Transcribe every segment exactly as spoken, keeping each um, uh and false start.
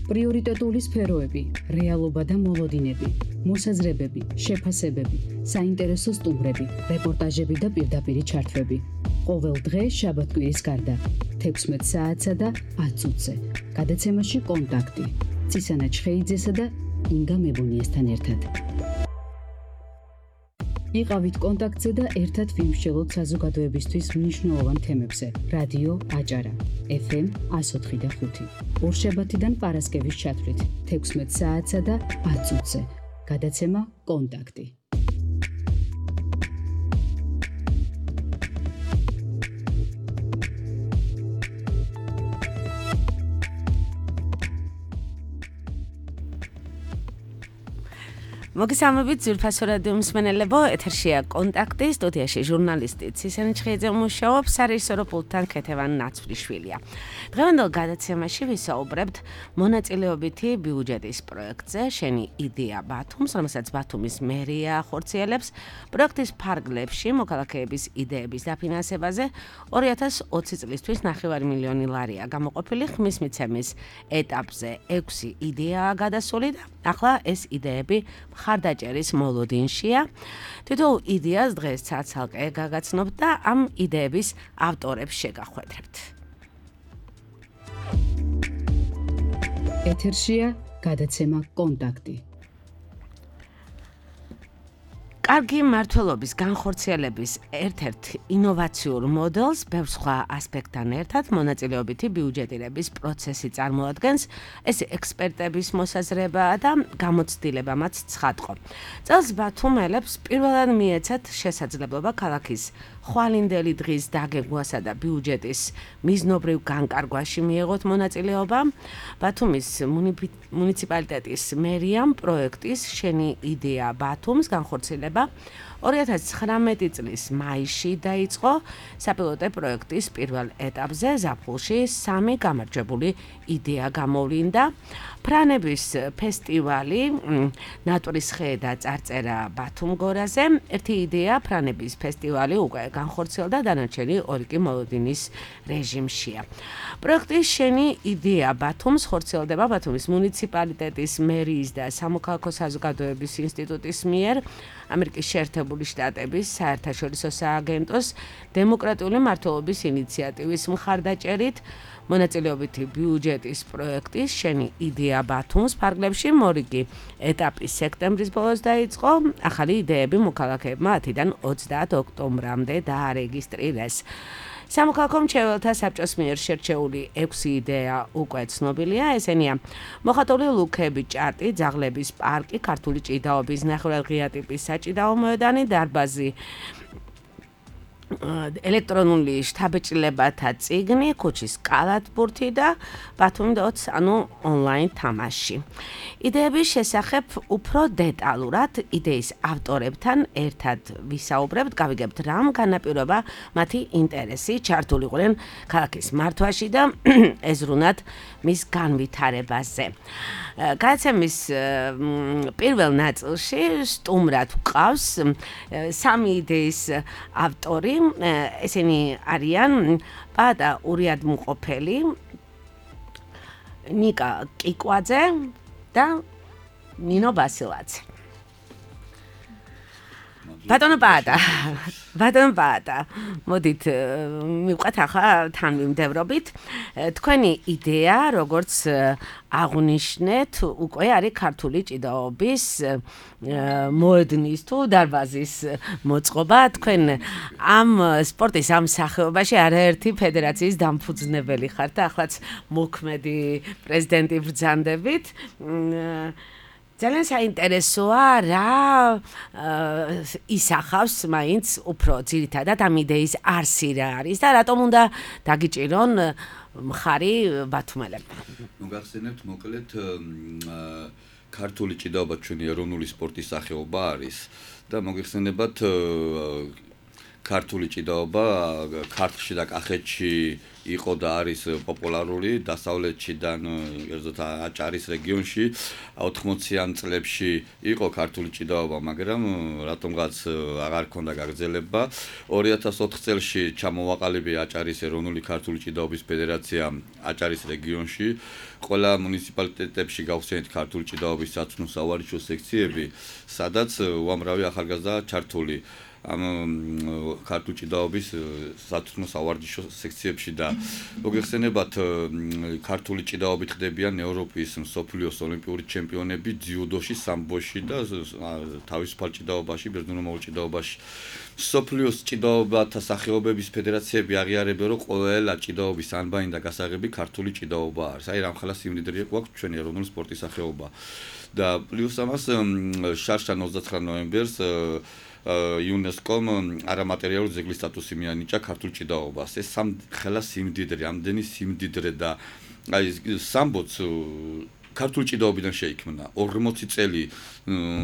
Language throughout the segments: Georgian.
პრიორიტეტული სფეროები, რეალობა და მოლოდინები, მოსაზრებები, შეფასებები, საინტერესო სტუმრები, რეპორტაჟები და პირდაპირი ჩართვები. ყოველ დღე შაბათ-კვირის გარდა, თექვსმეტ საათსა და ათ წუთზე. გადაცემაში კონტაქტი. ცისანა ჩხეიძესა და ინგა მებუნიესთან ერთად. იყავით კონტაქტზე და ერთად ვიმსჯელოთ საზოგადოებისთვის მნიშვნელოვან თემებზე. რადიო აჭარა, ეფ ემ εκατო ოთხი და ხუთი. ორშაბათიდან პარასკევის ჩათვლით, თექვსმეტ საათსა და ათ წუთზე. გადაცემა კონტაქტი. მოგესალმებით ძვირფასო რადიო მსმენელებო, ეთერშია კონტაქტი, სტუდიაში ჟურნალისტი ცისანა ჩხეიძე მუშაობს, სარეჟისორო პულტთან ქეთევან ნაცვლიშვილია. დღევანდელ გადაცემაში ვისაუბრებთ მონაწილეობითი ბიუჯეტის პროექტზე შენი იდეა ბათუმს, რომელსაც ბათუმის მერია ახორციელებს, პროექტის ფარგლებში მოქალაქეების იდეების დაფინანსებაზე ორი ათას ოცი წლისთვის ნახევარი მილიონი ლარია გამოყოფილი, ხმის მიცემის ეტაპზე ექვსი იდეაა გადასული და ახლა ეს იდეები ხარდაჭერის მოლოდინშია. თითოეულ იდეას დღეს ცალ-ცალკე გაგაცნობთ და ამ იდეების ავტორებს შეგახვედრებთ. ეთერშია გადაცემა კონტაქტი. კარგი მმართველობის განხორციელების ერთ-ერთ ინოვაციურ მოდელს ბევრ სხვა ასპექტთან ერთად მონაწილეობითი ბიუჯეტირების პროცესი წარმოადგენს. ეს ექსპერტების მოსაზრებაა და გამოცდილებამაც ცხადყო. წელს ბათუმელებს პირველად მიეცათ შესაძლებლობა ქალაქის ხვალინდელი დღის დაგეგმვასა და ბიუჯეტის მიზნობრივ განკარგვაში მიეღოთ მონაწილეობა. ბათუმის მუნიციპალიტეტის მერიამ პროექტის შენი იდეა ბათუმს განხორციელება ორი ათას ცხრამეტი წლის მაისში დაიწყო. საპილოტო პროექტის პირველ ეტაპზე ზაფხულში სამი გამარჯვებული იდეა გამოვლინდა. ფრანების ფესტივალი, ნატურის ხე და წარწერა ბათუმ გორაზე. ერთი იდეა ფრანების ფესტივალი უკვე განხორციელდა, დანარჩენი ორი კი მოლოდინის რეჟიმშია. პროექტის შენი იდეა ბათუმს ხორციელდება ბათუმის მუნიციპალიტეტის მერიის და სამოქალაქო საზოგადოების ინსტიტუტის მიერ ამერიკის შეერთებული შტატების საერთაშორისო სააგენტოს დემოკრატიული მმართველობის ინიციატივის მხარდაჭერით. მონაწილეობითი ბიუჯეტის პროექტის შენი იდეა ბათუმს ფარგლებში მორიგი ეტაპი სექტემბრის ბოლოს დაიწყო. ახალი იდეები მოქალაქეებმა ათიდან ოცდაათ ოქტომბრამდე დაარეგისტრირეს. სამოქალაქო მრჩეველთა საბჭოს მიერ შერჩეული ექვსი იდეა უკვე ცნობილია. ესენია მოხატული ლუქები, ჭარტი, ძაღლების პარკი, ქართული ჭიდაობის ნახევრადღია ტიპის საჭიდაო მოედანი, დარბაზი, ელექტრონული შთაბეჭდილებათა წიგნი, ქუჩის კალათბურთი და ბათუმი დოც, ანუ ონლაინ თამაში. იდეების შესახებ უფრო დეტალურად იდეის ავტორებთან ერთად ვისაუბრებთ, გავიგებთ რამ განაპირობა მათი ინტერესი, ჩართულიყვნენ ქალაქის მართვაში და ეზრუნათ მის განვითარებაზე. გადაცემის პირველ ნაწილში სტუმრად ვყავს სამი იდეის ავტორი. ესენი არიან პაატა ურიადმუყოფელი, ნიკა კიკვაძე და ნინო ბასილაძე. ბატონო პაატა, ბატონო პაატა, მოდით მივყვეთ ახლა თან ვიმდევრობით. თქვენი იდეა, როგორც აღნიშნეთ, უკვე არის ქართული ჭიდაობის მოედნის თუ დარბაზის მოწყობა. თქვენ ამ სპორტის ამ სახეობაში არაერთი ფედერაციის დამფუძნებელი ხართ და ახლაც მოქმედი პრეზიდენტი ბრძანდებით. ძალიან საინტერესოა რა ისახავს მაინც უფრო ძირითადად ამ იდეის არსი რა არის და რატომ უნდა დაგიჭირონ მხარი ბათუმელებმა. ნუ გახსენებთ მოკლედ ქართული ჭიდაობა ჩვენი ეროვნული სპორტის სახეობა არის და მოგეხსენებათ ქართული ჭიდაობა ქართლში და კახეთში იყო და არის პოპულარული დასავლეთიდან ერთად აჭარის რეგიონში ოთხმოციან წლებში იყო ქართული ჭიდაობა, მაგრამ რატომღაც აღარ ქონდა გაგრძელება. ორი ათას ოთხ წელში ჩამოვაყალიბა აჭარის ეროვნული ქართული ჭიდაობის ფედერაცია აჭარის რეგიონში. ყველა მუნიციპალიტეტებში გავხსენეთ ქართული ჭიდაობის საცნო სავარჯიშო სექციები, სადაც უამრავი ახალგაზრდა ჩართული ამ ქართული ჭიდაობის საცნო სავარჯიშო სექციებში და მოგეხსენებათ ქართული ჭიდაობით ხდებიან ევროპის მსოფლიოს ოლიმპიური ჩემპიონები ძიუდოში, სამბოში და თავისუფალ ჭიდაობაში, ბერძნულ ჭიდაობაში. მსოფლიოს ჭიდაობათა სახეობების ფედერაციები აღიარებენ, რომ ყველა ჭიდაობის ანბანი და გასაღები ქართული ჭიდაობა არის. აი რამხელა სიმდიდრე გვაქვს ჩვენი ეროვნული სპორტის სახეობა. და პლუს ამას შარშან ოცდაცხრა ნოემბერს იუნესკომ არამატერიალური ძეგლის სტატუსი მიანიჭა ქართულ ჭიდაობას. ეს სამხელა სიმდიდრე, ამდენი სიმდიდრე და აი სამბოც ქართული ჭიდაობიდან შეიქმნა. ორმოცი წელი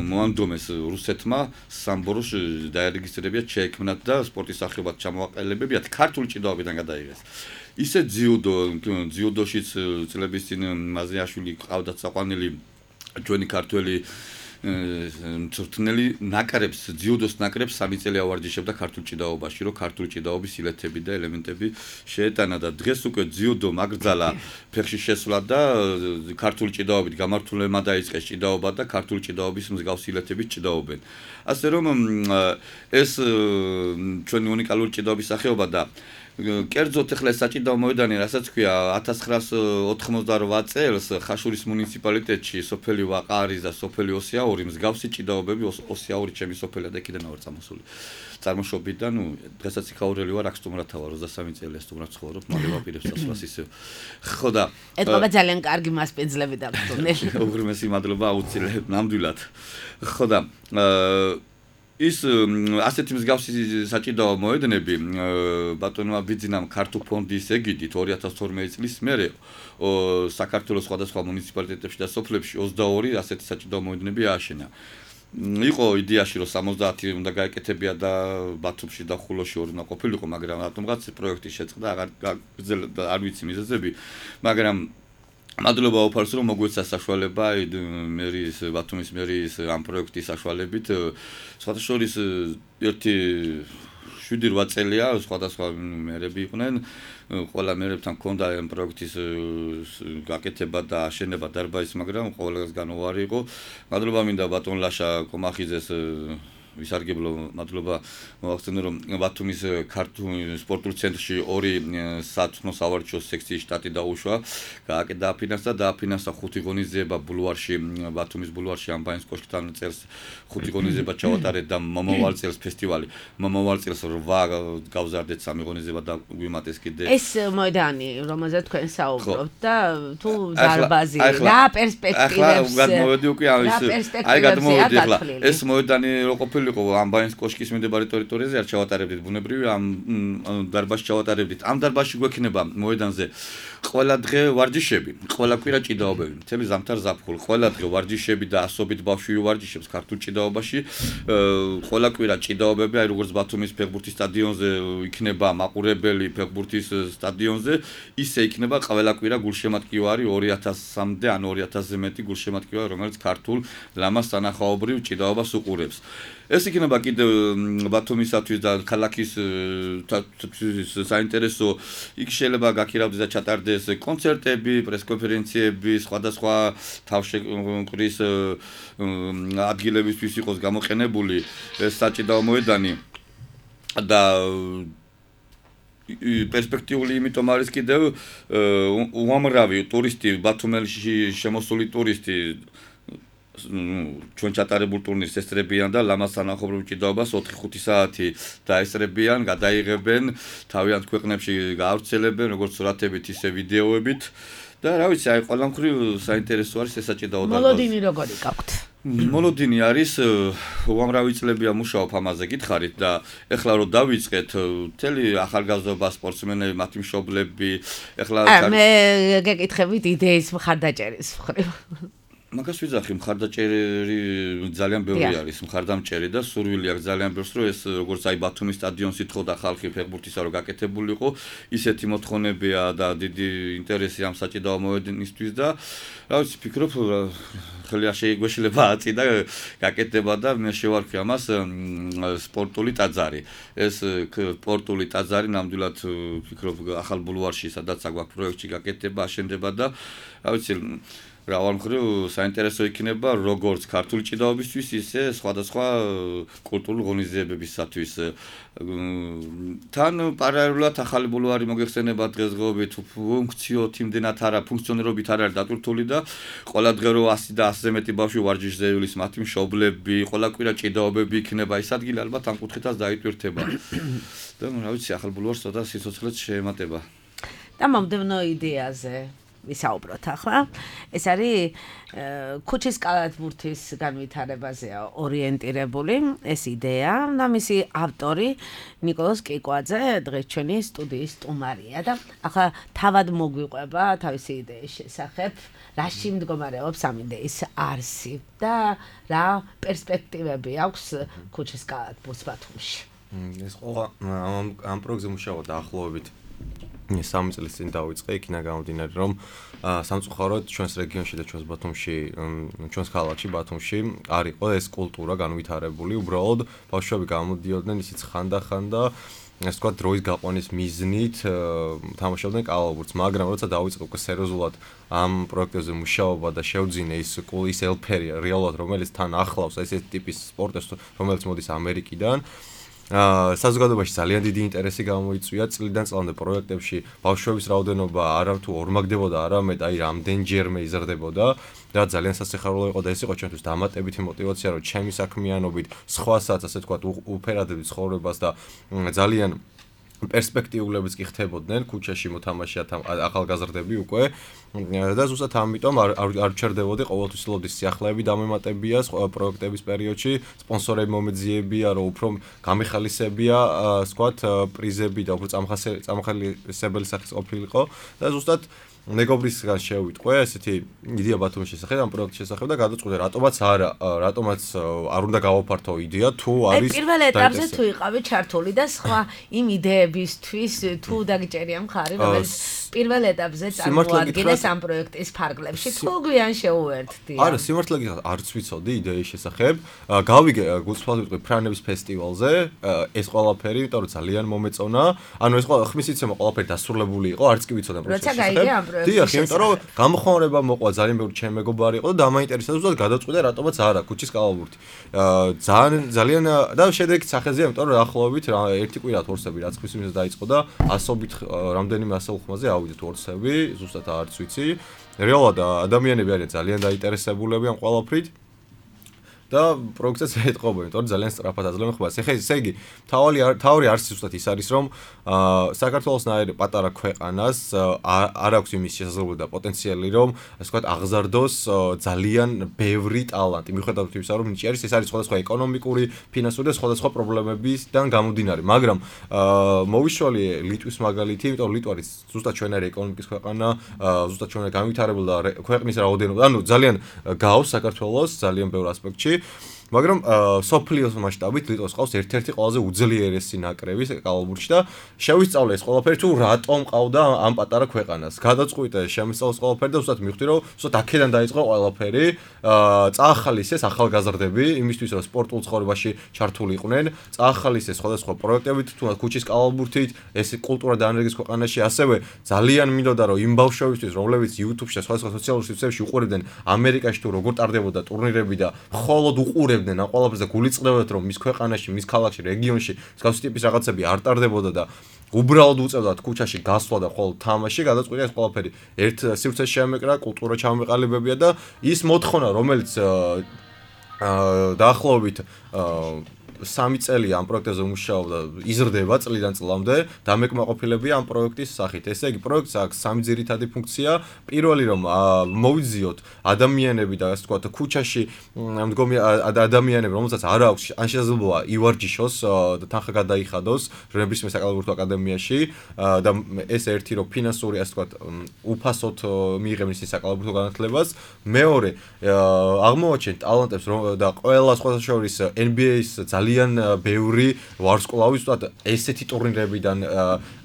მოანდომეს რუსეთმა სამბოროს დაერეგისტრირებიათ, შეექმნათ და სპორტის სახეობად ჩამოაყალიბებიათ ქართული ჭიდაობიდან გადაიღეს. ისე ძიუდო, ძიუდოშიც წლების წინ მაზრიაშვილი ყავდათ საყვანელი ჩვენი ქართველი მწვრთნელი ნაკრებს, ძიუდოს ნაკრებს სამი წელი ავარჯიშებდა ქართულ ჭიდაობაში, რომ ქართული ჭიდაობის ილეთები და ელემენტები შეეტანა და დღეს უკვე ძიუდო მაგრძალა ფეხში შესვლა და ქართული ჭიდაობით გამართულებმა დაიწყეს ჭიდაობა და ქართული ჭიდაობის მსგავსი ილეთებით ჭიდაობენ. ასე რომ ეს ჩვენი უნიკალური ჭიდაობის სახეობა და კერძოდ ახლა საჭიდაო მოედანი, რასაც ქვია ათას ცხრაას ოთხმოცდარვა წელს ხაშურის მუნიციპალიტეტში სოფელი ვაყარის და სოფელი ოსიაური მსგავსი ჭიდაობები ოსიაური ჩემი სოფელი და იქიდან ვარ წამოსული. წარმოშობით და ნუ დღესაც იქაურელი ვარ, აქ სტუმრათა ვარ, ოცდასამი წელი სტუმრად ცხოვრობ, მალე ვაპირებ სასვლას ისე. ხო და ეთყობა ძალიან კარგი მასპინძლები დაგტუნელი. უღრმესი მადლობა აუცილებლად, ნამდვილად. ხო და ის ასეთი მსგავსი საჭიდაო მოედნები ბატონმა ბიძინამ ქართულ ფონდის ეგიდით ორი ათას თორმეტი წლის მერე საქართველოს სხვადასხვა მუნიციპალიტეტებში და სოფლებში ოცდაორი ასეთი საჭიდაო მოედნები ააშენა. იყო იდეაში რომ სამოცდაათი უნდა გაეკეთებია და ბათუმში და ხულოში ორი უნდა ყოფილიყო, მაგრამ რატომღაც პროექტი შეწყდა, აღარ გაგრძელდა, არ ვიცი მიზეზები, მაგრამ მადლობა უფალს რომ მოგვეცა საშუალება მერის ბათუმის მერის ამ პროექტის საშუალებით სხვათა შორის ერთი შვიდი რვა წელია სხვადასხვა მერები იყვნენ ყველა მერებთან ჰქონდა ამ პროექტის გაკეთება და აშენება დარბაზის, მაგრამ ყველგან უარი იყო. მადლობა მინდა ბატონ ლაშა კომახიძეს ვისარგებლო, მადლობა მოახსენე რომ ბათუმის ქართულ სპორტულ ცენტრში ორი საცნო სავარჯიშო სექციის შტატი დაუშვა, დააფინანსა და დააფინანსა ხუთი ღონისძიება ბულვარში, ბათუმის ბულვარში ამბანის კოშკთან წელს ხუთი ღონისძიება ჩავატარეთ და მომავალ წელს ფესტივალი, მომავალ წელს რვა გავზარდეთ სამი ღონისძიება და გვიმატეს კიდე. ეს მოედანი, რომელზეც თქვენ საუბრობთ და თუ დარბაზი, რა პერსპექტივებს ახლა გადმოვედი უკვე ამის, აი გადმოვედი ახლა ეს მოედანი რო ყოფილი იყო ამბანის კოშკის მიმდებარე ტერიტორიაზე არ ჩავატარებდით ბუნებრივი ამ დარბაზში ჩავატარებდით. ამ დარბაზში გვექნება მოედანზე ყველა დღე ვარჯიშები, ყველა კვირა ჭიდაობები, მთელი ზამთარ ზაფხული, ყველა დღე ვარჯიშები და ასობით ბავშვი ვარჯიშებს ქართულ ჭიდაობაში. ყველა კვირა ჭიდაობები, აი როგორც ბათუმის ფეხბურთის სტადიონზე იქნება მაყურებელი ფეხბურთის სტადიონზე, ისე იქნება ყველა კვირა გულშემატკივარი ორი ათასამდე ან ორი ათასზე მეტი გულშემატკივარი, რომელიც ქართულ ლამას სანახაობრივ ჭიდაობას უყურებს. ეს იქნება კიდევ ბათუმისათვის და ქალაქის საინტერესო, იქ შეიძლება გაქირავდეს და ჩატარდეს კონცერტები, პრესკონფერენციები, სხვადასხვა თავშეყრის ადგილებისთვის იყოს გამოყენებული ეს საჭიდაო მოედანი და პერსპექტიული იმიტომ არის კიდევ უამრავი ტურისტი, ბათუმელში შემოსული ტურისტი ჩვენ ჩატარებულ ტურნირს ესწრებიან და ლამას სანახაობრივ ჭიდაობას ოთხი ხუთი საათი დაესწრებიან, გადაიღებენ, თავიანთ ქვეყნებში გაავრცელებენ, როგორც სურათებით, ისე ვიდეოებით და რა ვიცი, აი ყველა მხრივ საინტერესო არის ეს საჭიდაო დარბაზი. მოლოდინი როგორი გაქვთ? მოლოდინი არის უამრავი წლებია მუშაობ ამაზე გითხარით და ეხლა რომ დავიწყეთ მთელი ახალგაზრდობა, სპორტსმენები, მათი მშობლები, ეხლა მე გეკითხებით იდეის მხარდაჭერის მხრივ. მაგას ვიძახი, მხარდაჭერი ძალიან ბევრი არის, მხარდამჭერი და სურვილი აქვს ძალიან ბევრს, რომ ეს როგორც აი ბათუმის სტადიონს ითხოვდა ხალხი ფეხბურთისა, რომ გაკეთებულიყო, ისეთი მოთხოვნებია და დიდი ინტერესი ამ საჭიდაო მოედნისთვის და რა ვიცი, ფიქრობ, ხელი არ შეიგვეშლება აწი და გაკეთდება და მე შევარქვი ამას სპორტული ტაძარი. ეს სპორტული ტაძარი ნამდვილად ფიქრობ ახალ ბულვარში, სადაც აგვაქვს პროექტი გაკეთდება, აშენდება და რა ვიცი რავალ მხრივ საინტერესო იქნება როგორც ქართული ჭიდაობისთვის, ისე სხვადასხვა კულტურული ღონისძიებებისათვის. თან პარალელურად ახალი ბულვარი მოგეხსენება დღესდღეობით ფუნქციოთ იმდენად არა, ფუნქციონირობით არ არის დატვირთული და ყველა დღე რო ასი და ასზე მეტი ბავშვი ვარჯიშზე ივლის, მათი მშობლები, ყველა კვირა ჭიდაობები იქნება, ის ადგილი ალბათ ამ კუთხითაც დაიტვირთება. და რა ვიცი, ახალ ბულვარს ცოტა სიცოცხლეც შეემატება. და მომდევნო იდეაზე ვისაუბროთ ახლა. ეს არის ქუჩის კალათბურთის განვითარებაზეა ორიენტირებული ეს იდეა და მისი ავტორი ნიკოლოზ კიკვაძე დღეს ჩვენი სტუდიის სტუმარია და ახლა თავად მოგვიყვება თავისი იდეის შესახებ, რაში მდგომარეობს ამ იდეის არსი და რა პერსპექტივები აქვს ქუჩის კალათბურთს ბათუმში. ეს ყველა ამ პროექტზე მუშაობა დაახლოებით სამი წლის წინ დავიწყე, იქიდან გამომდინარე, რომ სამწუხაროდ ჩვენს რეგიონში და ჩვენს ბათუმში, ჩვენს ქალაქში ბათუმში არ იყო ეს კულტურა განვითარებული, უბრალოდ ბავშვები გამოდიოდნენ ისიც ხანდახან და ეს თქვა დროის გაყვანის მიზნით თამაშობდნენ კალათბურთს, მაგრამ როცა დავიწყე უკვე სერიოზულად ამ პროექტებზე მუშაობა და შევძინე ის ის ელფერი რეალურად, რომელიც თან ახლავს ესეთი ტიპის სპორტს, რომელიც მოდის ამერიკიდან. საზოგადოებაში ძალიან დიდი ინტერესი გამოიწვია წლიდან წლამდე პროექტებში ბავშვების რაოდენობა არა თუ ორმაგდებოდა, არამედ აი რამდენჯერმე იზრდებოდა და ძალიან სასიხარულო იყო და ეს იყო ჩვენთვის დამატებითი мотиваცია, რომ ჩემი საქმიანობით სხვასაც ასე თქვა უფერადებით ცხოვრებას და ძალიან პერსპექტიულებს კი ხდებოდნენ ქუჩაში მოთამაშეათ ახალგაზრდები უკვე და ზუსტად ამიტომ არ ჩერდებოდი ყოველთვის ლოდის სიახლეები დამემატებია პროექტების პერიოდში, სპონსორები მომეძიებია, რომ უფრო გამეხალისებია, ვთქვათ, პრიზები და უფრო წამახალისებელი სახის ყოფილიყო და ზუსტად მეგობრისგან შევიტყვე ესეთი იდეა ბათუმის შესახებ, ამ პროექტის შესახებ და გადაწყვიტე რატომაც არა, რატომაც არ უნდა გავაფართო იდეა თუ არის პირველ ეტაპზე თუ იყავი ჩართული და სხვა იმ იდეებისთვის თუ დაგიჭერია მხარი, რომელიც პირველ ეტაპზე წარმოადგენს ამ პროექტის ფარგლებში, თუ გვიან შეუერთდი. არა, სიმართლე გითხრათ, არც ვიცოდი იდეის შესახებ. გავიგე გულწრფელად ვიტყვი ფრანების ფესტივალზე, ეს ყველაფერი, იმიტომ რომ ძალიან მომეწონა. ანუ ეს ხმის იცემა ყველაფერი დასრულებული იყო, არც კი ვიცოდი ამ პროექტის შესახებ. დიახ, იმიტომ რომ გამოხმაურება მოყვა ძალიან ბევრი ჩემი მეგობარი იყო და დამაინტერესდა ზუსტად გადაწყვიტე რატომაც არა ქუჩის კალათბურთი. ძალიან ძალიან და შედეგიც სახეზეა, იმიტომ რომ ახლობით ერთი კვირა თორსები რაც ხმის მიზეზ დაიწყო და ასობით რამდენიმე ასეულ ხმაზე ავიდეთ თორსები, ზუსტად არც ვიცი. რეალურად ადამიანები არიან ძალიან დაინტერესებულები ამ ყველაფრით. და პროექტსაც ეთყობა, იმიტომ რომ ძალიან სწრაფად აძლევენ ხმას. ეხლა ესე იგი, თავი თავი არც ზუსტად ის არის, რომ საქართველოსნაირი პატარა ქვეყანას არ აქვს იმის შესაძლებლობა და პოტენციალი, რომ ასე ვთქვათ, აღზარდოს ძალიან ბევრი ტალანტი. მიუხედავად იმისა, რომ ნიჭი არის, ეს არის სხვადასხვა ეკონომიკური, ფინანსური და სხვადასხვა პრობლემებისგან გამომდინარე. მაგრამ მოვიშალე ლიტვის მაგალითი, იმიტომ რომ ლიტვა არის ზუსტად ჩვენარი ეკონომიკის ქვეყანა, ზუსტად ჩვენარი განვითარებული და ქვეყნის რაოდენობა, ანუ ძალიან გავს საქართველოს ძალიან ბევრ ასპექტში. მაგრამ სოფლიოს მასშტაბით ლიტვას ყავს ერთ-ერთი ყველაზე უძლიერესი ნაკრები კალათბურთში და შევისწავლე ეს ყველაფერი თუ რატომ ყავდა ამ პატარა ქვეყანას. გადაწყვიტე შემისწავლეს ყველაფერი და უბრალოდ მივხვდი რომ უბრალოდ აქედან დაიწყო ყველაფერი. წაახალისეს ახალგაზრდები იმისთვის რომ სპორტულ ცხოვრებაში ჩართული იყვნენ, წაახალისეს სხვადასხვა პროექტებით თუ ქუჩის კალათბურთით, ეს კულტურა დაანერგეს ქვეყანაში, ასევე ძალიან მინდოდა რომ იმ ბავშვებისთვის, რომლებიც YouTube-ში და სხვადასხვა სოციალურ სივრცეებში უყურებდნენ ამერიკაში თუ როგორ ტარდებოდა ტურნირები და მხოლოდ უყურებდნენ ამ ყველაფერს და გულიწრდებოდათ რომ მის ქვეყანაში, მის ქალაქში, რეგიონში მსგავსი ტიპის რაღაცები არ ტარდებოდა და უბრალოდ უწევდათ ქუჩაში გასვლა და ხოლმე თამაში, გადაწყვიტე ეს ყველაფერი ერთ სივრცეში შემეკრა, კულტურა ჩამოეყალიბებია და ის მოთხოვნა, რომელიც დაახლოებით სამი წელი ამ პროექტზე მუშაობდა, იზრდება წლიდან წლამდე, დამეკმაყოფილებია ამ პროექტის სახით. ესე იგი, პროექტს აქვს სამი ძირითადი ფუნქცია. პირველი რომ მოვიძიოთ ადამიანები და ასე ვთქვათ, ქუჩაში მდგომი ადამიანები, რომელსაც არ აქვს ან შესაძლოა ივარჯიშოს და თანხა გადაიხადოს ნებისმიერ საკალათბურთო აკადემიაში და ეს ერთი რომ ფინანსური ასე ვთქვათ, უფასოდ მიიღებენ ის საკალათბურთო განათლებას. მეორე, აღმოვაჩენთ ტალანტებს და ყველა სხვათა შორის N B A-ის ძალიან ბევრი ვარსკვლავი ვთქვათ, ესეთი ტურნირებიდან,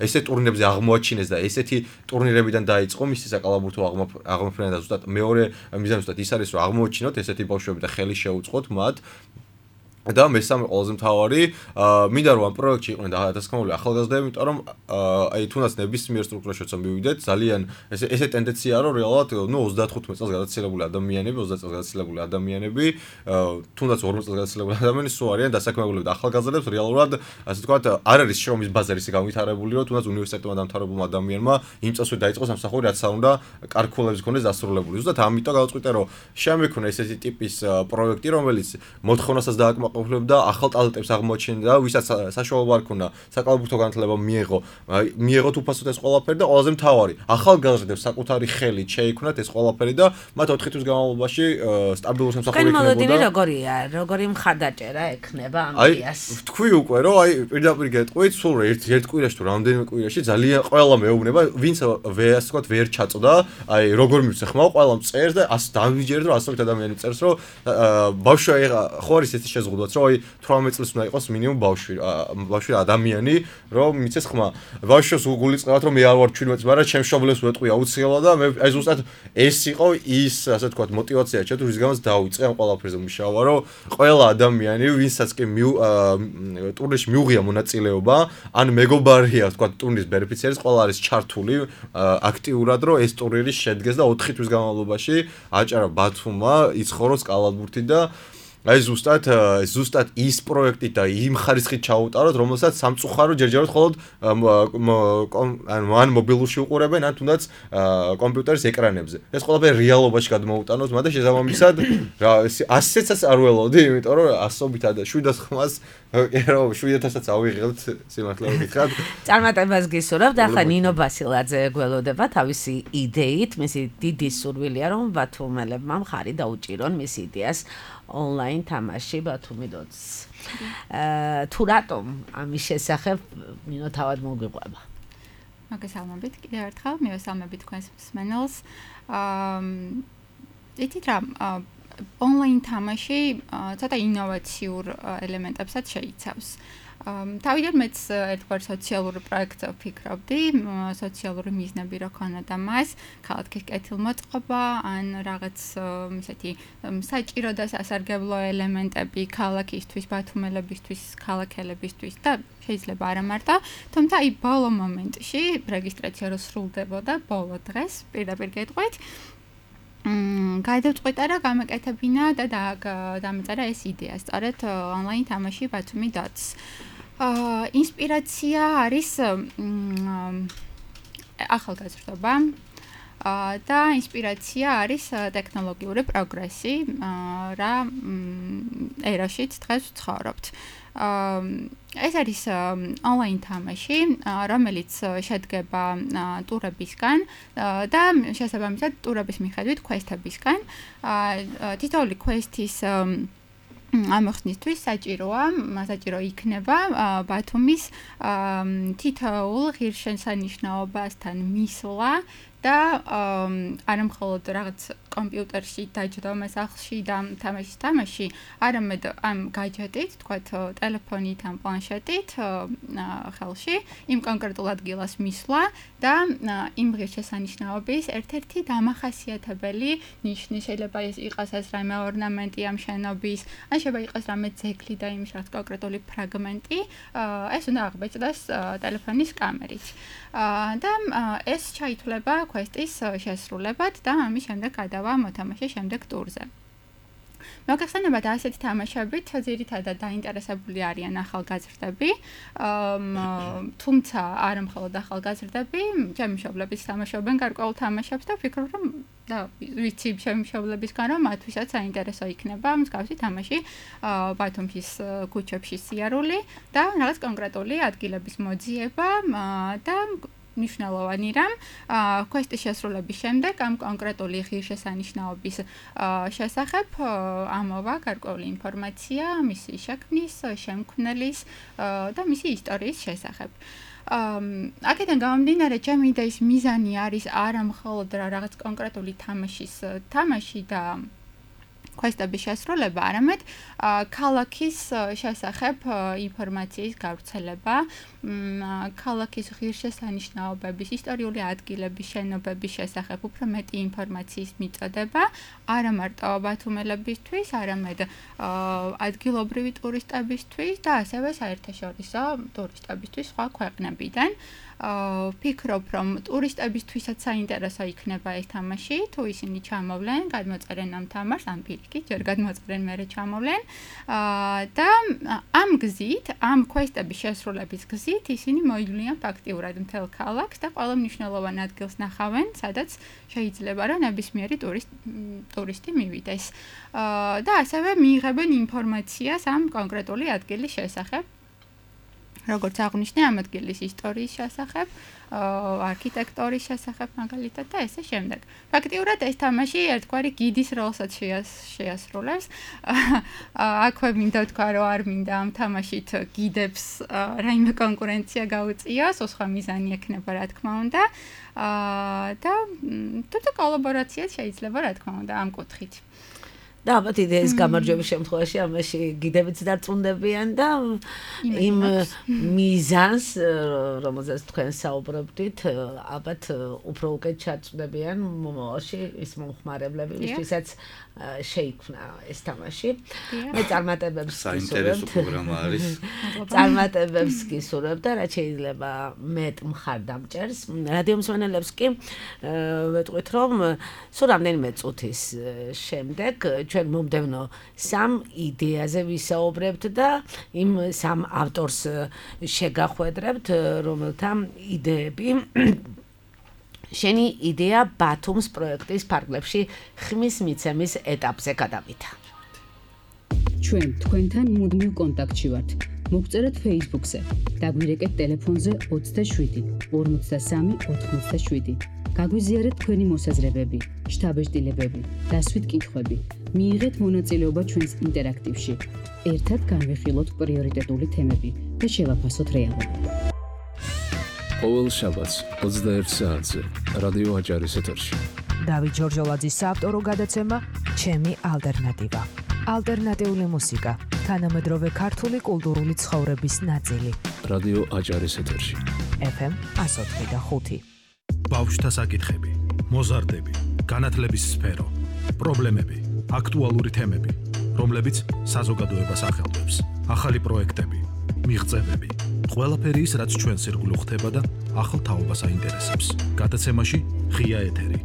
ესეთ ტურნირებზე აღმოაჩინეს და ესეთი ტურნირებიდან დაიწყო მისი საკალათბურთო აღმოფრენა და ზუსტად მეორე მიზანი ზუსტად ის არის რომ აღმოაჩინოთ ესეთი ბავშვები და ხელი შეუწყოთ მათ და მესამე ყველაზე მთავარი, მინდა რომ ამ პროექტში იყვნენ დასაქმებული ახალგაზრდები, იმიტომ რომ აი თუნდაც ნებისმიერ სტრუქტურაში როცა მივიდეთ, ძალიან ესე ესე ტენდენციაა რომ რეალურად ნუ ოცდათხუთმეტ წელს გადაცილებული ადამიანები, ოცდაათ წელს გადაცილებული ადამიანები, თუნდაც ორმოც წელს გადაცილებული ადამიანები სულ არიან დასაქმებული და ახალგაზრდებს რეალურად ასე ვთქვათ, არ არის შრომის ბაზარი ისე განვითარებული, რომ თუნდაც უნივერსიტეტმა დამთავრებულმა ადამიანმა იმ წელსვე დაიწყოს სამსახური, რაც უნდა კარკულებს ქონდეს დასრულებული. ზუსტად ამიტომ გავწყვიტე რომ შემექნა ესეთი ტიპის პროექტი, რომელიც მოთხოვნასაც დააკმაყოფილებდა და ახალ ტალენტებს აღმოაჩენდა, ვისაც საშუალება არ ქონდა საკალათბურთო განათლება მიეღო, მიეღოთ უფასოდ ეს ყველაფერი და ყველაზე მთავარი, ახალგაზრდებს საკუთარი ხელით შეიქმნათ ეს ყველაფერი და მათ ოთხი თვის განმავლობაში სტაბილური სამსახური ექნებოდა. მოლოდინი როგორია? როგორი მხარდაჭერა ექნება ამ იდეას? აი, თქვი უკვე რომ აი პირდაპირ გეტყვით, სულ ერთ ერთ კვირაში თუ რამდენიმე კვირაში ძალიან ყველა მეუბნება, ვინც ასე ვთქვათ, ვერ ჩაწოდა, აი როგორ მივცე ხმაო, ყველა წერს და ასე დავიჯერეთ რომ ასობით ადამიანი წერს რომ ბავშვი ხო არის ეს შეზღუდვა რომ აი თვრამეტ წელს უნდა იყოს მინიმუმ ბავშვი, ბავშვი ადამიანი, რომ მიცეს ხმა. ბავშვს უგულიწყებათ რომ მე არ ვარ ჩვენმეტ, მაგრამ ჩემ მშობლებს ვეტყვი აუცილებლად და მე აი ზუსტად ეს იყო ის, ასე ვთქვათ, мотиваცია ჩემთვის, რის გამოც დავიწყე ამ ყველაფერზე მუშაობა, რომ ყველა ადამიანი, ვინცაც კი ტურნირში მიუღია მონაწილეობა, ან მეგობარია, ვთქვათ, ტურნირის ბენეფიციარის, ყველა არის ჩართული აქტიურად, რომ ეს ტურნირი შედგეს და ოთხი თვის განმავლობაში აჭარა ბათუმმა იცხოვროს კალათბურთი და აი ზუსტად ზუსტად ის პროექტი და იმ ხარისხით ჩაუტაროთ, რომელსაც სამწუხარო ჯერჯერობით მხოლოდ ანუ ან მობილურში უყურებენ, ან თუნდაც კომპიუტერის ეკრანებზე. ეს ყველაფერი რეალობაში გადმოუტანოთ, მაგრამ შესაბამისად რა ასეცაც არ ველოდი, იმიტომ რომ ასობით და შვიდას ხმას ერო შვიდათასაც ავიღებთ სიმართლე ვგითხრათ. წარმატებას გისურვებთ. ახლა ნინო ბასილაძე გველოდება თავისი იდეით, მისი დიდი სურვილია რომ ბათუმელებმა მხარი დაუჭირონ მის იდეას online თამაში ბათუმი დოც. აა თუ რატომ ამის შესახებ ნინო თავად მოგვიყვება? მოგესალმებით კიდევ ერთხელ, მივესალმებით თქვენს მსმენელს. აა იცით რა, online თამაში ცოტა ინოვაციურ ელემენტებსაც შეიცავს. თავიდან მეც ერთგვარ სოციალური პროექტზე ვფიქრობდი, სოციალური მიზნები რო ქონოდა მას, ქალაქის კეთილმოწყობა, ან რაღაც ისეთი საჭირო და სასარგებლო ელემენტები ქალაქისთვის, ბათუმელებისთვის, ქალაქელებისთვის და შეიძლება არა მარტო, თუმცა აი ბოლო მომენტში რეგისტრაცია რო სრულდებოდა, ბოლო დღეს პირდაპირ გეტყვით, მ გადავწყვიტა რა გამეკეთებინა და დამეწერა ეს იდეა, სწორედ online თამაში ბათუმი დოც. აა ინსპირაცია არის ახალგაზრდობა და ინსპირაცია არის ტექნოლოგიური პროგრესი, რა ერაშიც დღეს ვცხოვრობთ. ეს არის online თამაში, რომელიც შედგება ტურებისგან და შესაბამისად ტურების მიხედვით quest-ებისგან. თითოეული quest-ის ამოხსნისთვის საჭიროა, საჭირო იქნება ბათუმის თითოეულ ღირსშესანიშნაობასთან მისვლა და არა მხოლოდ რაღაც კომპიუტერში დაჯდომა სახლში და თამაშის თამაში, არამედ ამ გაჯეტით, თქვათ ტელეფონით ან პლანშეტით ხელში იმ კონკრეტულ ადგილას მისვლა და იმ ღირსშესანიშნაობის ერთ-ერთი დამახასიათებელი ნიშნი შეიძლება იყოს ეს რამე ორნამენტი ამ შენობის, ან შეიძლება იყოს რამე ძეგლი და იმის რაღაც კონკრეტული ფრაგმენტი, ეს უნდა აღბეჭდეს ტელეფონის კამერით. და ეს ჩაითვლება quest-ის შესრულებად და ამის შემდეგ გადავა მოთამაშე შემდეგ ტურზე. მოგეხსენებათ ასეთი თამაშებით ძირითადად დაინტერესებული არიან ახალგაზრდები, თუმცა არა მხოლოდ ახალგაზრდები, ჩემი მშობლებიც თამაშობენ გარკვეულ თამაშებს და ვფიქრობ, რომ და ვიცი შემშობლებისგან რომ მათთვისაც საინტერესო იქნება მსგავსი თამაში ბათუმის ქუჩებში სიარული და რაღაც კონკრეტული ადგილების მოძიება და მნიშვნელოვანი რამ quest-ის შესრულების შემდეგ ამ კონკრეტული ღირსშესანიშნაობის შესახებ ამოვა გარკვეული ინფორმაცია მისი შექმნის, შემქმნელის და მისი ისტორიის შესახებ. აქედან გამომდინარე, ჩემი იდეის მიზანი არის არა მხოლოდ რაღაც კონკრეტული თამაშის თამაში და quest-ების შესრულება, არამედ ქალაქის შესახებ ინფორმაციის გავრცელება, ქალაქის ღირსშესანიშნაობების, ისტორიული ადგილების, შენობების შესახებ უფრო მეტი ინფორმაციის მიწოდება, არა მარტო ბათუმელებისთვის, არამედ ადგილობრივი ტურისტებისთვის და ასევე საერთაშორისო ტურისტებისთვის სხვა ქვეყნებიდან. ვფიქრობ, რომ ტურისტებისთვისაც საინტერესო იქნება ეს თამაში, თუ ისინი ჩამოვლენ, გადმოწერენ ამ თამაშს, ან პირიქით, ჯერ გადმოწერენ, მერე ჩამოვლენ. და ამ გზით, ამ quest-ების შესრულების გზით ისინი მოივლიან ფაქტიურად მთელ ქალაქს და ყველა მნიშვნელოვან ადგილს ნახავენ, სადაც შეიძლება რომ ნებისმიერი ტურისტი მივიდეს. და ასევე მიიღებენ ინფორმაციას ამ კონკრეტული ადგილის შესახებ. როგორც აღვნიშნე, ამ ადგილის ისტორიის შესახებ, არქიტექტორის შესახებ მაგალითად და ესე შემდეგ. ფაქტიურად ეს თამაში ერთგვარი გიდის როლსაც შეასრულებს. აქვე მინდა თქვა, რომ არ მინდა ამ თამაშით გიდებს რაიმე კონკურენცია გაუწიოს, სხვა მიზანი ექნება, რა თქმა უნდა. და თუმცა კოლაბორაციაც შეიძლება, რა თქმა უნდა, ამ კუთხით. და ალბათ იდეის გამარჯვების შემთხვევაში ამაში გიდებიც დარწმუნდებიან და იმ მიზანს, რომელზეც თქვენ საუბრობდით, ალბათ უფრო უკეთ ჩაწვდებიან მომავალში ის მომხმარებლები, ვისაც შეიქმნა ეს თამაში. მე წარმატებებს საინტერესო პროგრამა არის. წარმატებებს გისურვებ და რაც შეიძლება მეტ მხარდამჭერს. რადიო მსმენელებს კი ვეტყვით, რომ სულ რამდენიმე წუთის შემდეგ ჩვენ მომდევნო სამ იდეაზე ვისაუბრებთ და იმ სამ ავტორს შეგახვედრებთ, რომელთა იდეები შენი იდეა ბათუმის პროექტის ფარგლებში ხმის მიცემის ეტაპზე გადავიდა. ჩვენ თქვენთან მუდმივ კონტაქტში ვართ. მოგწერეთ Facebook-ზე, დაგვირეკეთ ტელეფონზე ოცდაშვიდი ორმოცდასამი ოთხმოცდაშვიდი. გაგვიზიარეთ თქვენი მოსაზრებები, შთაბეჭდილებები, დასვით კითხვები. მიიღეთ მონაწილეობა ჩვენს ინტერაქტივში. ერთად განვიხილოთ პრიორიტეტული თემები და შევაფასოთ რეალობა. ყოველ შაბათს ოცდაერთ საათზე რადიო აჭარის ეთერში. დავით ჯორჯოლაძის საავტორო გადაცემა ჩემი ალტერნატივა. ალტერნატიული მუსიკა, თანამედროვე ქართული კულტურული ცხოვრების ნაწილი. რადიო აჭარის ეთერში. ეფ ემ εκατო ოთხი და ხუთი. ბავშვთა საკითხები, მოზარდები, განათლების სფერო, პრობლემები, აქტუალური თემები, რომლებიც საზოგადოებას ახელვებს, ახალი პროექტები, მიღწევები, ყველაფერი ის, რაც ჩვენს ირგვლივ ხდება და ახალ თაობას აინტერესებს. გადაცემაში ღია ეთერი.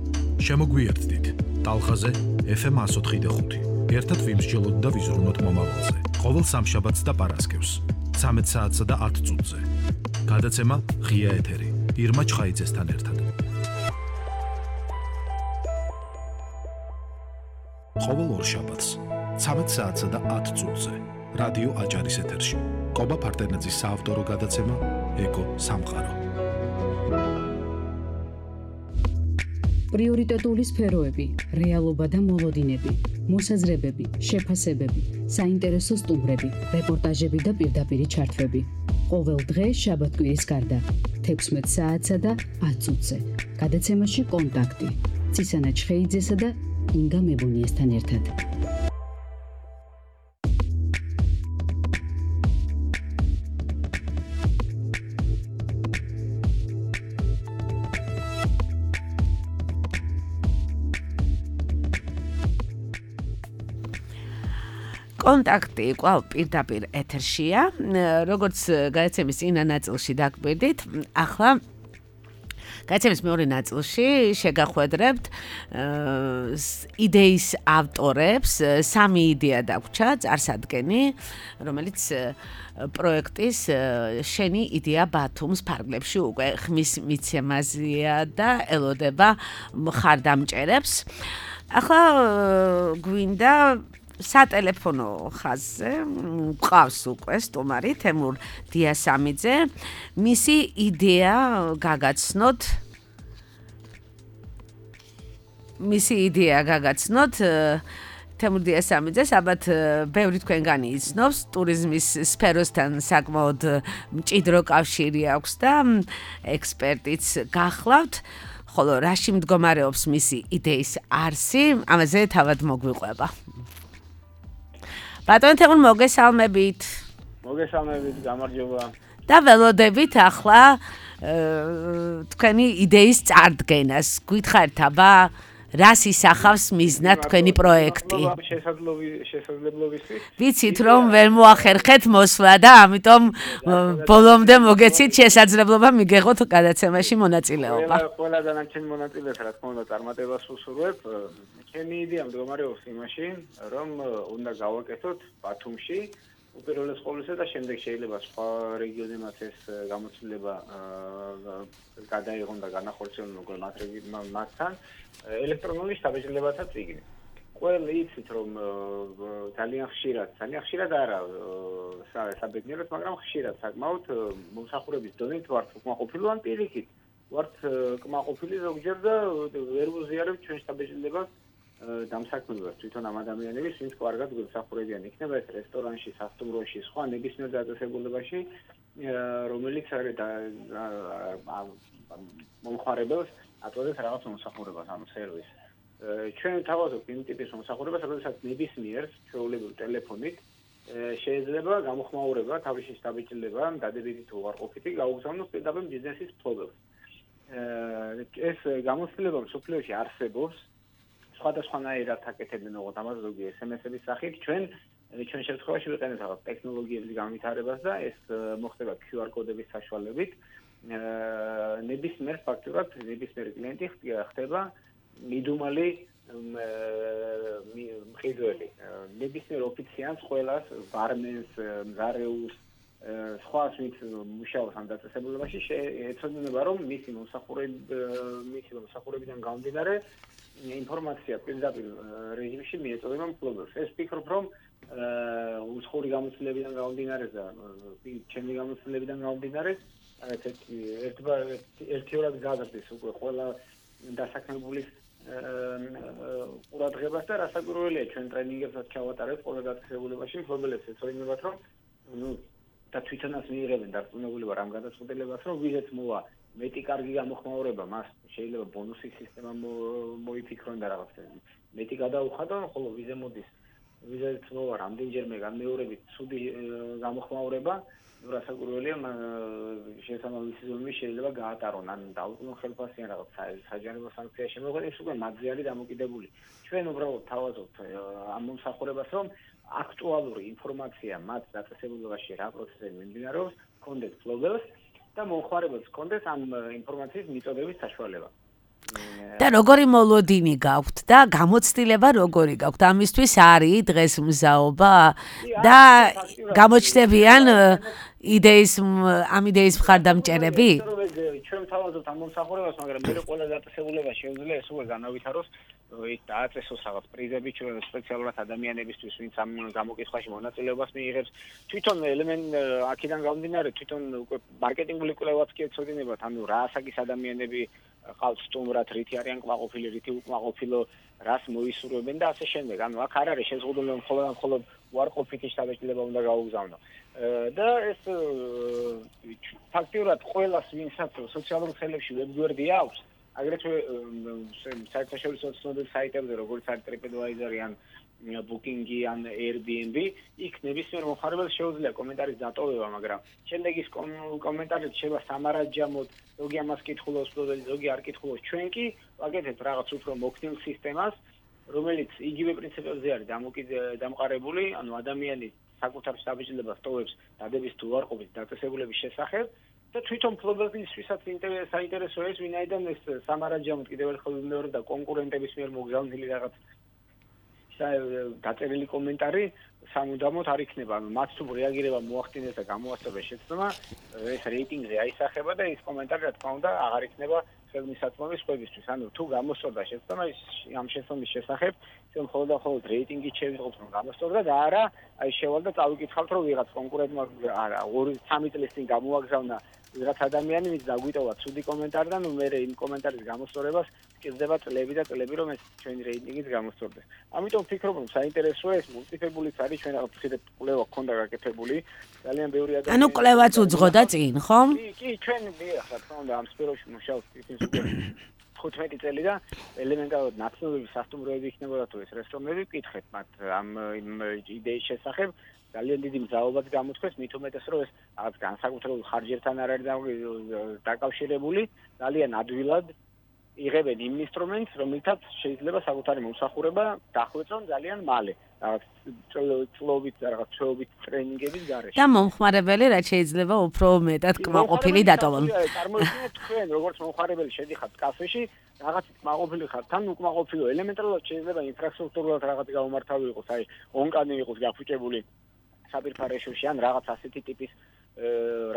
შემოგვიერთდით ტალღაზე ეფ ემ εκατო ოთხი და ხუთი. ერთად ვიმსჯელოთ და ვიზრუნოთ მომავალზე. ყოველ სამშაბათს და პარასკევს, ცამეტ საათსა და ათ წუთზე. გადაცემა ღია ეთერი. ირმა ჩხაიძესთან ერთად. ყოველ ორ შაბათს, ცამეტ საათსა და ათ წუთზე, რადიო აჭარის ეთერში. კობა ფარტენაძის საავტორო გადაცემა ეკო სამყარო. პრიორიტეტული სფეროები, რეალობა და მოლოდინები, მოსაზრებები, შეფასებები, საინტერესო სტუმრები, რეპორტაჟები და პირდაპირი ჩართვები. ყოველ დღე შაბათ-კვირის გარდა, თექვსმეტ საათსა და ათ წუთზე. გადაცემაში კონტაქტი. ცისანა ჩხეიძესა და ინგა მებონიესთან ერთად. კონტაქტი კვლავ პირდაპირ ეთერშია, როგორც გადაცემის წინა ნაწილში დაგვირდით, ახლა გადაცემის მეორე ნაწილში შეგახვედრებთ იდეის ავტორებს, სამი იდეა დაგვჭა, წარსადგენი, რომელიც პროექტის შენი იდეა ბათუმს ფარგლებში უკვე ხმის მიცემაზეა და ელოდება მხარდამჭერებს. ახლა გვინდა სატელეფონო ხაზზე მყავს უკვე სტუმარი თემურ დიასამიძე. მისი იდეა გაგაცნოთ მისი იდეა გაგაცნოთ თემურ დიასამიძეს, ალბათ ბევრი თქვენგანი იცნობს, ტურიზმის სფეროსთან საკმაოდ მჭიდრო კავშირი აქვს და ექსპერტიც გახლავთ, ხოლო რაში მდგომარეობს მისი იდეის არსი, ამაზე თავად მოგვიყვება. ბატონო თემურ, მოგესალმებით. მოგესალმებით, გამარჯობა. და ველოდებით ახლა თქვენი იდეის წარდგენას. გითხარით აბა რას ისახავს მიზნად თქვენი პროექტი? შესაძლებლობისთვის. ვიცით რომ ვერ მოახერხეთ მოსვლა და ამიტომ ბოლომდე მოგეცით შესაძლებლობა მიგეღოთ გადაცემაში მონაწილეობა. ყველა ყველა დანარჩენ მონაწილეს რა თქმა უნდა წარმატებას ვუსურვებ. ჩემი იდეა მდგომარეობს იმაში, რომ უნდა გავაკეთოთ ბათუმში უპირველეს ყოვლისა და შემდეგ შეიძლება სხვა რეგიონებმაც ეს გამოცდილება გადაიღონ და განახორციელონ უკვე მათთან ელექტრონული შთაბეჭდილებათა წიგნი. ყველა იცით რომ ძალიან ხშირად, ძალიან ხშირად არა საბედნიეროდ, მაგრამ ხშირად საკმაოდ მომსახურების დონით ვართ უკმაყოფილი ან პირიქით. ვართ კმაყოფილი ზოგჯერ და ვერ ვუზიარებთ ჩვენ შთაბეჭდილებას დამსაქმებელს თვითონ ამ ადამიანების, ვინც კარგად გვემსახურებიან, იქნება ეს რესტორანში, სასტუმროში, სხვა ნებისმიერ დაწესებულებაში, რომელიც არის მომხმარებელს აწვდის რაღაც მომსახურებას, ანუ სერვისს. ჩვენ თავაზობთ იმ ტიპის მომსახურებას, რომელსაც ნებისმიერ ჩვეულებრივ ტელეფონით შეიძლება გამოხმაურება, თავისი შთაბეჭდილება, დადებითი თუ უარყოფითი გაუგზავნოს პირდაპირ ბიზნესის მფლობელს. ეს გამოცდილება მსოფლიოში არსებობს. სხვადასხვანაირად აკეთებენ ოღონდ ამას ზოგი ეს ემ ეს-ების სახით. ჩვენ ჩვენ შემთხვევაში ვიყენებთ რაღაც ტექნოლოგიების განვითარებას და ეს მოხდება კიუ არ კოდების საშუალებით. ნებისმიერ ფაქტურად ნებისმიერი კლიენტი ხდება მიდუმალი მყიდველი. ნებისმიერ ოფიციანტს ყველას, ბარმენს, მზარეულს, სხვას ვინც მუშაობს ამ დაწესებულებაში ეცოდინება რომ მისი მომსახურება მისი მომსახურებიდან გამომდინარე ინფორმაცია პირდაპირ რეჟიმში მიეწოდება მფლობელს. ეს ვფიქრობ რომ უცხოური გამოცდილებიდან გამომდინარე და ჩემი გამოცდილებიდან გამომდინარე ერთგვარად გაზრდის უკვე ყველა დასაქმებულის ყურადღებას და რასაკვირველია ჩვენ ტრენინგებსაც ჩავატარებთ ყველა დაწესებულებაში მფლობელებს ეწოდინებათ რომ ნუ და თვითონაც მიიღებენ დარწმუნებულება რამ გადაწყვეტილებას რომ ვიზეთ მოვა მეტი კარგი გამოხმაურება მას შეიძლება ბონუსის სისტემა მოიფიქრონ და რაღაც მეტი გადაუხადონ, ხოლო ვიზე მოდის ვიზეთ მოვა რამდენჯერმე განმეორებით ცუდი გამოხმაურება, ნუ რასაკვირველია შესაბამისი ზომი შეიძლება გაატარონ ან დაუბრუნონ ხელფასი ან რაღაც საჯარო სანქცია შემოგვიყვანოს, ის უკვე მათზე არის დამოკიდებული. ჩვენ უბრალოდ თავაზობთ ამ მომსახურებას რომ აქტუალური ინფორმაცია მათ დაწესებულებაში რა პროცესები მიმდინარეობს, კონდეთ ფლობელს და მომხმარებელს კონდეს ამ ინფორმაციის მიწოდების საშუალება. და როგორი მოლოდინი გაქვთ და გამოცდილება როგორი გაქვთ? ამისთვის არის დღეს მზაობა და გამოჩნდებიან იდეის ამ იდეის მხარდამჭერები? ჩვენ თავაზობთ ამ მომსახურებას, მაგრამ მე ყველა დაწესებულება შეუძლია ეს უკვე განავითაროს ის დააწესოს რაღაც პრიზები ჩვენ სპეციალურად ადამიანებისთვის, ვინც ამ გამოკითხვაში მონაწილეობას მიიღებს. თვითონ ელემენტ აქედან გამომდინარე, თვითონ უკვე მარკეტინგული კვლევაც კი ეცოდინებათ, ანუ რა ასაკის ადამიანები ყავთ სტუმრად, რითი არიან კმაყოფილი, რითი უკმაყოფილო, რას მოისურვებენ და ასე შემდეგ. ანუ აქ არ არის შეზღუდული რომ მხოლოდ მხოლოდ უარყოფითი შთაბეჭდილება უნდა გაუგზავნო. და ეს ფაქტიურად ყველას ვინცაც სოციალურ ქსელებში ვებგვერდი აქვს, აგრეთვე საერთაშორისო ცნობილ საიტებზე, როგორც არის TripAdvisor ან Booking-ი ან Airbnb, იქ ნებისმიერ მომხმარებელს შეუძლია კომენტარის დატოვება, მაგრამ შემდეგ ის კომენტარი შეიძლება სამარაჯამოდ, ზოგი ამას კითხულობს, ზოგი არ კითხულობს. ჩვენ კი ვაკეთებთ რაღაც უფრო მოქნილ სისტემას, რომელიც იგივე პრინციპებზე არის დამყარებული, ანუ ადამიანი საკუთარ შთაბეჭდილებას ტოვებს დადების თუ უარყოფით დაწესებულების შესახებ და თვითონ ფლობელისთვისაც საინტერესო ეს ვინაიდან ეს სამარაჯამოდ კიდევ ერთხელ ვიმეორებ და კონკურენტების მიერ მოგზავნილი რაღაც დაწერილი კომენტარი სამუდამოდ არ იქნება. მათ თუ რეაგირება მოახდინეს და გამოასწორეს შეცდომა, ეს რეიტინგზე აისახება და ეს კომენტარი რა თქმა უნდა აღარ იქნება ხელმისაწვდომი სხვებისთვის. ანუ თუ გამოსწორდა შეცდომა ის ამ შეცდომის შესახებ, ისე მხოლოდ და მხოლოდ რეიტინგით შევიღოთ რომ გამოსწორდა და არა აი შევალ და წავიკითხავთ რომ ვიღაც კონკურენტმა არა ორი სამი წლის წინ გამოაგზავნა ვიღაც ადამიანი ვინც დაგვიტოვა ცუდი კომენტარი და ნუ მე იმ კომენტარის გამოსწორებას სჭირდება წლები და წლები რომ ეს ჩვენი რეიტინგიც გამოსწორდეს. ამიტომ ვფიქრობ რომ საინტერესოა ეს მულტიფებულიც არის ჩვენ რაღაც ხიდეთ კვლევა გქონდა გაკეთებული ძალიან ბევრი ადამიანი ანუ კვლევაც უძღოდა წინ ხო? კი კი ჩვენ მიხარ რა თქმა უნდა ამ სფეროში მუშაობთ ისინი ხუთმეტი წელი და ელემენტარულად ნაცნობები სასტუმროები იქნებოდა თუ ეს რესტორნები ვკითხეთ მათ ამ იდეის შესახებ ძალიან დიდი მზაობაც გამოთქვეს მით უმეტეს რომ ეს რაღაც განსაკუთრებულ ხარჯებთან არ არის დაკავშირებული ძალიან ადვილად იღებენ იმ ინსტრუმენტს რომელთაც შეიძლება საკუთარი მომსახურება დახვეწონ ძალიან მალე რაღაც წლობით რაღაც ჩვეობით ტრენინგების გარეშე და მომხმარებელი რაც შეიძლება უფრო მეტად კმაყოფილი დატოვონ წარმოიდგინეთ თქვენ როგორც მომხმარებელი შედიხართ კაფეში რაღაც კმაყოფილი ხართ თან უკმაყოფილო ელემენტარულად შეიძლება ინფრასტრუქტურულად რაღაც გაუმართავი იყოს აი ონკანი იყოს გაფუჭებული საბირთვა რეჟიმში ან რაღაც ასეთი ტიპის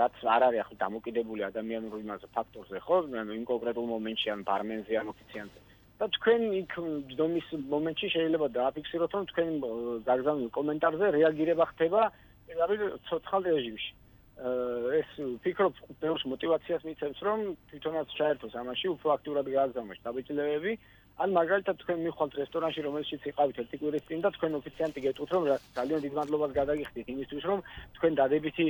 რაც არ არის ახლა დამოკიდებული ადამიანურ იმაზე ფაქტორზე ხო ანუ იმ კონკრეტულ მომენტში ან ბარმენზე ან ოფიციანზე და თქვენ იქ დომის მომენტში შეიძლება დააფიქსიროთ რომ თქვენ გაგზავნილ კომენტარზე რეაგირება ხდება არის ცოცხალ რეჟიმში ეს ფიქრობ ბევრს мотиваციას მიცემს რომ თვითონაც ჩაერთოს ამაში უფრო აქტიურად გააგზავნოს დაბეჭდილებები ან მაგალითად თქვენ მიხვალთ რესტორანში რომელშიც იყავით ერთი კვირის წინ და თქვენ ოფიციანტი გეტყვით რომ ძალიან დიდ მადლობას გადაგიხდით იმისთვის რომ თქვენ დადებითი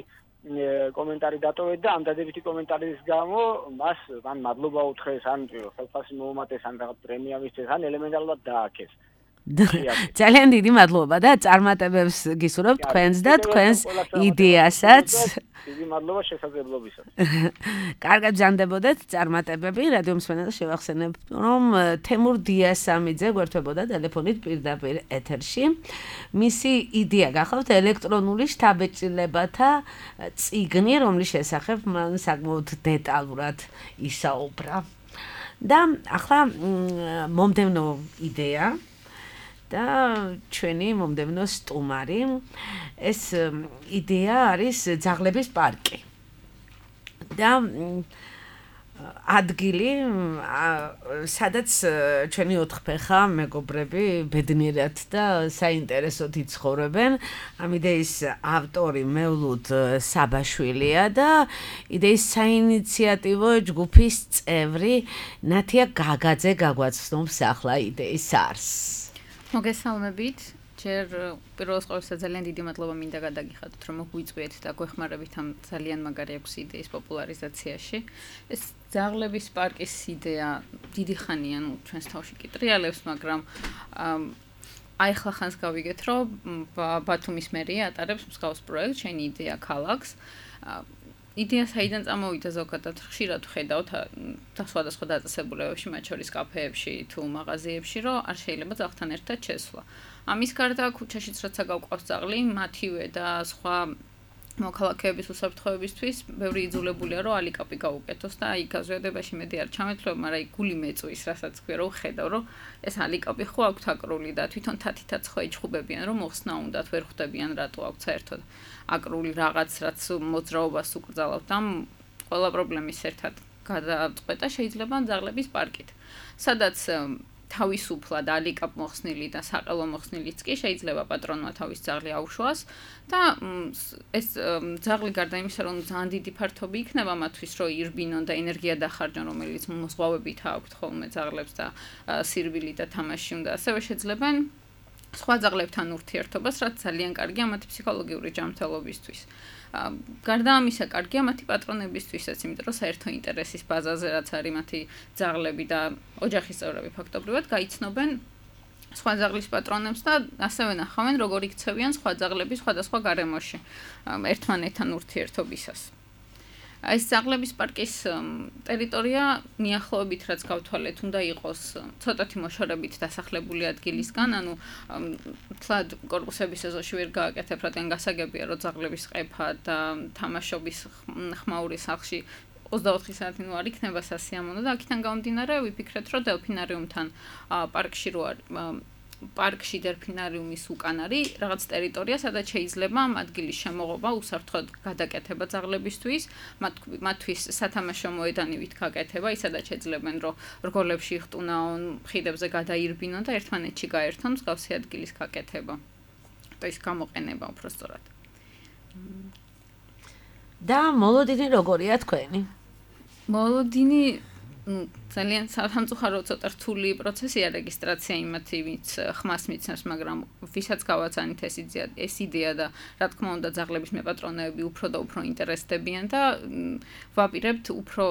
კომენტარი დატოვეთ და ამ დადებითი კომენტარის გამო მას ან მადლობა უთხრეს ან ხელფასი მოუმატეს ან რაღაც პრემია მისცეს ან ელემენტარულად დააქეს ძალიან დიდი მადლობა და წარმატებებს გისურვებთ თქვენს და თქვენს იდეასაც. დიდი მადლობა შესაძლებლობისას. კარგად ბრძანდებოდეთ წარმატებები. რადიო მსმენელს შევახსენებ, რომ თემურ დიასამიძე გვერდებოდა ტელეფონით პირდაპირ ეთერში. მისი იდეა გახავთ ელექტრონული შთაბეჭდილებათა წიგნი, რომლის შესახებ მან საკმაოდ დეტალურად ისაუბრა. და ახლა მომდევნო იდეა და ჩვენი მომდევნო სტუმარი ეს იდეა არის ძაღლების პარკი და ადგილი სადაც ჩვენი ოთხფეხა მეგობრები ბედნიერად და საინტერესოდ იცხოვრებენ ამ იდეის ავტორი მევლუდ საბაშვილია და იდეის საინიციატივო ჯგუფის წევრი ნათია გაგაძე გაგვაცნობს ახლა იდეის არსს მოგესალმებით ჯერ პირველს ყოვლისა ძალიან დიდი მადლობა მინდა გადაგიხადოთ რომ მოგვიწვიეთ და გვეხმარებით ამ ძალიან მაგარი აქვს იდეის პოპულარიზაციაში ეს ძაღლების პარკის იდეა დიდი ხანია ნუ ჩვენს თავში კი ტრიალებს მაგრამ აი ახლა ხანს გავიგეთ რომ ბათუმის მერია ატარებს მსგავს პროექტს შენი იდეა ქალაქს იდეა საიდან წამოვიდა ზოგადად ხშირად ვხედავთ სხვადასხვა დაწესებულებებში მათ შორის კაფეებში თუ მაღაზიებში რომ არ შეიძლება ძაღლთან ერთად შესვლა ამის გარდა ქუჩაშიც რაცა გავყავს ძაღლი მათივე და სხვა მოქალაქეების უსაფრთხოებისთვის ბევრი იძულებულია რომ ალიკაპი გაუკეთოს და აი გაზვიადებაში მედი არ ჩამეთვლებ მაგრამ აი გული მეწვის რასაც ქვია რომ ხედავ რომ ეს ალიკაპი ხო აქვთ აკრული და თვითონ თათითაც ხო იჭხუბებიან რომ მოხსნა უნდათ ვერ ხვდებიან რატო აქვთ საერთოდ აკრული რაღაც რაც მოძრაობას უკრძალავთ ამ ყველა პრობლემის ერთად გადაწყვეტა შეიძლება ძაღლების პარკით სადაც თავისუფლად ალიკაპ მოხსნილი და საყელო მოხსნილიც კი შეიძლება პატრონმა თავის ძაღლი აუშვას და ეს ძაღლი გარდა იმისა რომ ძალიან დიდი ფართობი იქნება მათთვის რომ ირბინონ და ენერგია დახარჯონ რომელიც მოსღვავებით აქვთ ხოლმე ძაღლებს და სირბილი და თამაში უნდა ასევე შეძლებენ სხვა ძაღლებთან ურთიერთობას რაც ძალიან კარგია მათი ფსიქოლოგიური ჯანმრთელობისთვის გარდა ამისა კარგია მათი პატრონებისთვისაც იმიტომ რომ საერთო ინტერესის ბაზაზე რაც არის მათი ძაღლები და ოჯახის წევრები ფაქტობრივად გაიცნობენ სხვა ძაღლის პატრონებს და ასევე ნახავენ როგორ იქცევიან სხვა ძაღლები სხვადასხვა გარემოში ერთმანეთთან ურთიერთობისას ეს ძაღლების პარკის ტერიტორია მიახლოებით რაც გავთვალეთ, უნდა იყოს ცოტათი მოშორებით დასახლებული ადგილისგან, ანუ თლად კორპუსების ეზოში ვერ გააკეთებ, რადგან გასაგებია, რომ ძაღლების ყეფა და თამაშობის ხმაური სახლში ოცდაოთხი საათი ნუ არ იქნება სასიამოვნო და აქედან გამომდინარე ვიფიქრეთ, რომ დელფინარიუმთან პარკში რო პარკში დელფინარიუმის უკან არის რაღაც ტერიტორია, სადაც შეიძლება ამ ადგილის შემოღობა უსაფრთხოდ გადაკეთება ძაღლებისთვის, მათთვის სათამაშო მოედანივით გაკეთება, ისედაც შეძლებენ, რომ რგოლებში იხტუნაონ, ხიდებზე გადაირბინონ და ერთმანეთში გაერთონ მსგავსი ადგილის გაკეთება. და ის გამოყენება უпростоრად. და მოლოდინი როგორია თქვენი? მოლოდინი ძალიან სამწუხარო ცოტა რთული პროცესია რეგისტრაცია იმათი, ვინც ხმას მიცნობს, მაგრამ ვისაც გავაცანით ეს იდეა, ეს იდეა და რა თქმა უნდა ძაღლების მეპატრონეები უფრო და უფრო ინტერესდებიან და ვაპირებთ უფრო